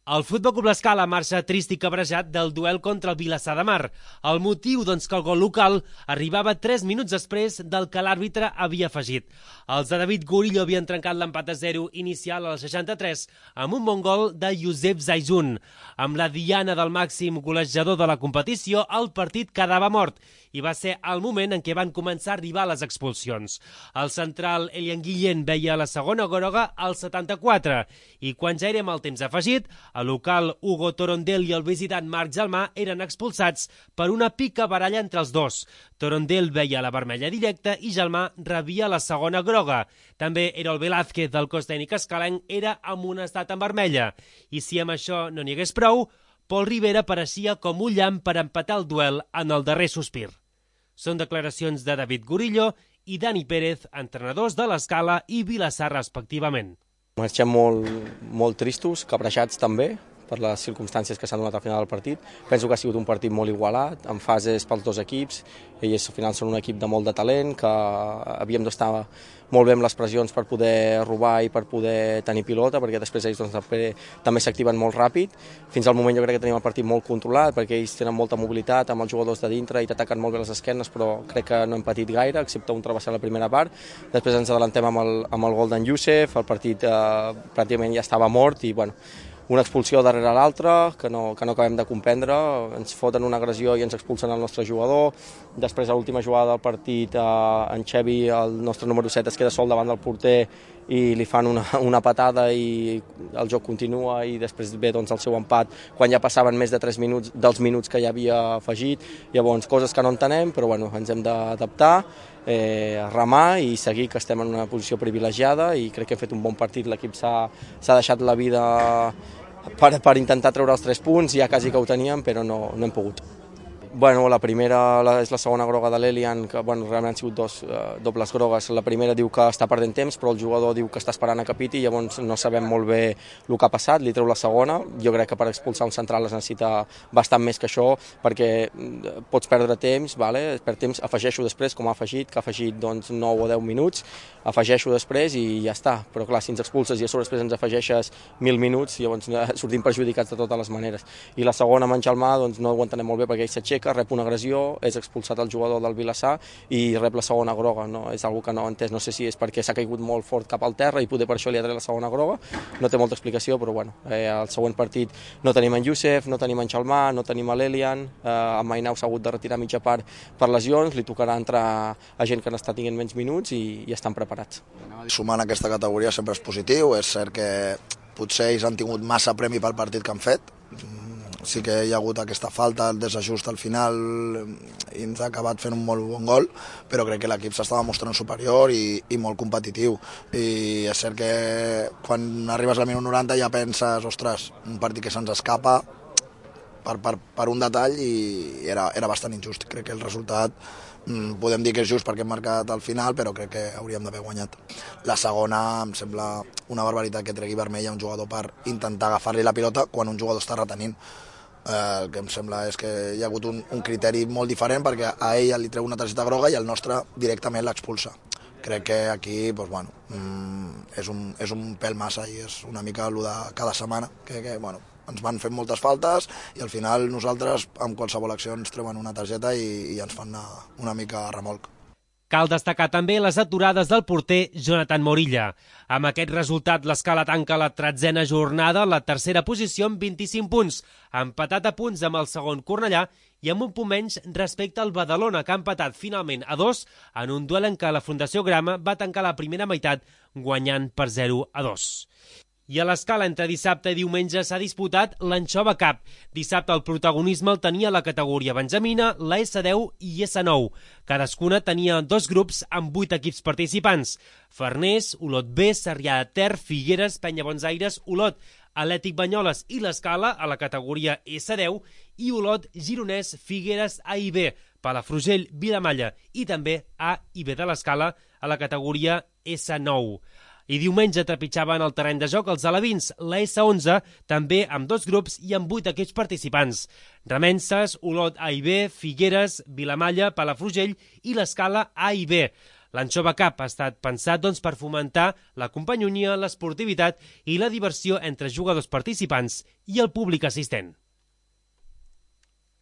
El Futbol Club L'Escala marxa trist i cabrejat del duel contra el Vilassar de Mar. El motiu, que el gol local arribava 3 minuts després del que l'àrbitre havia afegit. Els de David Gurillo havien trencat l'empat a 0 inicial al 63 amb un bon gol de Youssef Zaizun. Amb la diana del màxim golejador de la competició, el partit quedava mort i va ser el moment en què van començar a arribar les expulsions. El central Elian Guillén veia la segona groga al 74 i quan ja érem al temps afegit, el local Hugo Torondel i el visitant Marc Gelmà eren expulsats per una pica baralla entre els dos. Torondel veia la vermella directa i Gelmà rebia la segona groga. També Erol Velázquez del cos tècnic escalenc era amonestat en vermella. I si amb això no n'hi hagués prou, Pol Rivera apareixia com un llamp per empatar el duel en el darrer sospir. Són declaracions de David Gurillo i Dani Pérez, entrenadors de l'Escala i Vilassar respectivament. Marxem molt tristos, cabrejats també, per les circumstàncies que s'han donat al final del partit. Penso que ha sigut un partit molt igualat, en fases pels dos equips. Ells al final són un equip de molt de talent, que havíem d'estar molt bé amb les pressions per poder robar i per poder tenir pilota, perquè després ells també s'activen molt ràpid. Fins al moment jo crec que tenim el partit molt controlat, perquè ells tenen molta mobilitat amb els jugadors de dintre i t'ataquen molt bé les esquernes, però crec que no hem patit gaire, excepte un travessar la primera part. Després ens adelantem amb el gol d'en Youssef, el partit pràcticament ja estava mort i una expulsió darrere l'altra, que no acabem de comprendre, ens foten una agressió i ens expulsen el nostre jugador. Després, a l'última jugada del partit, en Xevi, el nostre número 7, es queda sol davant del porter i li fan una patada i el joc continua i després ve el seu empat quan ja passaven més de 3 minuts dels minuts que ja havia afegit. Llavors, coses que no entenem, però ens hem d'adaptar, remar i seguir, que estem en una posició privilegiada i crec que hem fet un bon partit. L'equip s'ha deixat la vida per intentar treure els 3 punts, ja quasi que ho teníem, però no hem pogut. La primera és la segona groga de l'Elian, que realment han sigut dobles grogues. La primera diu que està perdent temps, però el jugador diu que està esperant a que piti, llavors no sabem molt bé el que ha passat, li treu la segona. Jo crec que per expulsar un central es necessita bastant més que això, perquè pots perdre temps, perd temps, afegeixo després, com ha afegit, que ha afegit 9 o 10 minuts, afegeixo després i ja està. Però clar, si ens expulses i a sobre després ens afegeixes 1.000 minuts, llavors sortim perjudicats de totes les maneres. I la segona, amb en Gelmà, no ho entenem molt bé, perquè ell s'aixeca, rep una agressió, és expulsat el jugador del Vilassar i rep la segona groga. És una que no he entès, no sé si és perquè s'ha caigut molt fort cap al terra i poder per això li ha tret la segona groga, no té molta explicació, però al següent partit no tenim en Youssef, no tenim en Gelmà, no tenim l'Elian, en Mainau s'ha hagut de retirar mitja part per lesions, li tocarà entrar a gent que n'està tinguent menys minuts i estan preparats. Sumant aquesta categoria sempre és positiu, és cert que potser ells han tingut massa premi pel partit que han fet, sí que hi ha hagut aquesta falta, el desajust al final i ens ha acabat fent un molt bon gol, però crec que l'equip s'estava mostrant superior i molt competitiu. I és cert que quan arribes al minut 90 ja penses, ostres, un partit que se'ns escapa per un detall i era bastant injust. Crec que el resultat podem dir que és just perquè hem marcat al final, però crec que hauríem d'haver guanyat. La segona em sembla una barbaritat que tregui vermella un jugador per intentar agafar-li la pilota quan un jugador està retenint. El que em sembla és que hi ha hagut un criteri molt diferent perquè a ell li treu una targeta groga i el nostre directament l'expulsa. Crec que aquí és un pèl massa i és una mica el de cada setmana, que ens van fent moltes faltes i al final nosaltres amb qualsevol acció ens treuen una targeta i ens fan una mica a remolc. Cal destacar també les aturades del porter Jonathan Morilla. Amb aquest resultat, l'Escala tanca la 13a jornada a la tercera posició amb 25 punts, empatat a punts amb el segon Cornellà i amb un punt menys respecte al Badalona, que ha empatat finalment a 2 en un duel en què la Fundació Grama va tancar la primera meitat guanyant per 0-2. I a l'Escala entre dissabte i diumenge s'ha disputat l'Anxova Cup. Dissabte el protagonisme el tenia la categoria benjamina, la S10 i S9. Cadascuna tenia 2 grups amb 8 equips participants. Farners, Olot B, Sarrià de Ter, Figueres, Penya Bonsaires, Olot, Atlètic Banyoles i l'Escala a la categoria S10 i Olot, Gironès, Figueres, A i B, Palafrugell, Vilamalla i també A i B de l'Escala a la categoria S9. I diumenge trepitjaven el terreny de joc els alevins, la S11, també amb 2 grups i amb 8 equips participants. Remenses, Olot A i B, Figueres, Vilamalla, Palafrugell i l'Escala A i B. L'Anxova Cup ha estat pensat per fomentar la companyonia, l'esportivitat i la diversió entre jugadors participants i el públic assistent.